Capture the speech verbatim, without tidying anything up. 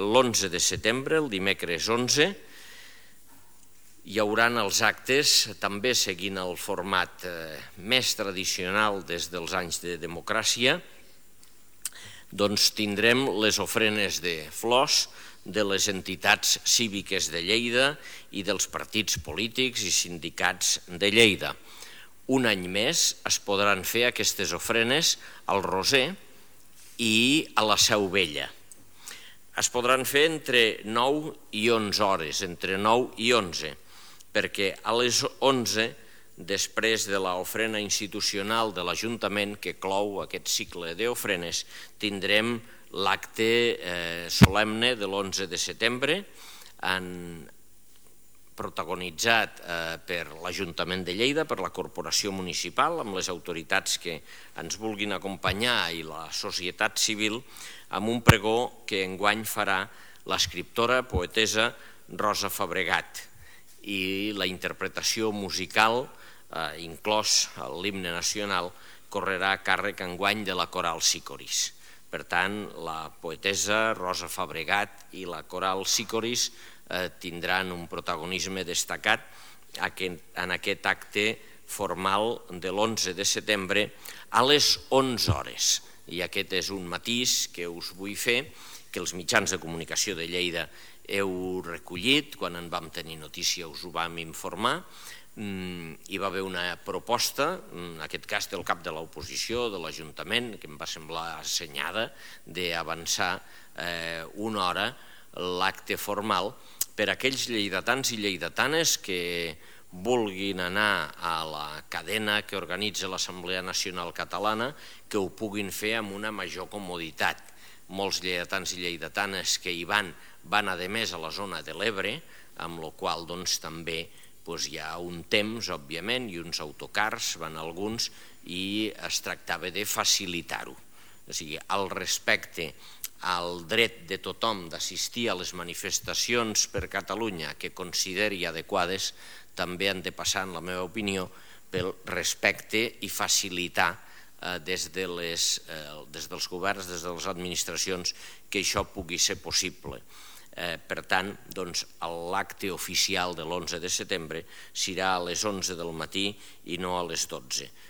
l'onze de setembre, el dimecres onze, hi haurà els actes, també seguint el format més tradicional des dels anys de democràcia, doncs tindrem les ofrenes de flors de les entitats cíviques de Lleida i dels partits polítics i sindicats de Lleida. Un any més es podran fer aquestes ofrenes al Roser i a la Seu Vella. Es podran fer entre nou i onze hores, entre nou i onze, perquè a les onze, després de l'ofrena institucional de l'Ajuntament que clou aquest cicle d'ofrenes, tindrem l'acte solemne de l'onze de setembre, protagonitzat per l'Ajuntament de Lleida, per la Corporació Municipal, amb les autoritats que ens vulguin acompanyar i la societat civil, amb un pregó que enguany farà l'escriptora, poetessa Rosa Fabregat, i la interpretació musical, inclòs l'himne nacional, correrà a càrrec enguany de la Coral Sicoris. Per tant, la poetessa Rosa Fabregat i la Coral Sicoris tindran un protagonisme destacat en aquest acte formal de l'onze de setembre a les onze hores. I aquest és un matís que us vull fer, que els mitjans de comunicació de Lleida heu recollit, quan en vam tenir notícia us ho vam informar. Hi va haver una proposta, en aquest cas del cap de l'oposició, de l'Ajuntament, que em va semblar assenyada, d'avançar una hora l'acte formal per a aquells lleidatans i lleidatanes que vulguin anar a la cadena que organitza l'Assemblea Nacional Catalana, que ho puguin fer amb una major comoditat. Molts lleidatans i lleidatanes que hi van, van a més a la zona de l'Ebre, amb la qual cosa també hi ha un temps, òbviament, i uns autocars, van alguns, i es tractava de facilitar-ho. O sigui, al respecte al dret de tothom d'assistir a les manifestacions per Catalunya que consideri adequades, també han de passar, en la meva opinió, pel respecte i facilitar des dels governs, des de les administracions, que això pugui ser possible. Per tant, l'acte oficial de l'onze de setembre serà a les onze del matí i no a les dotze.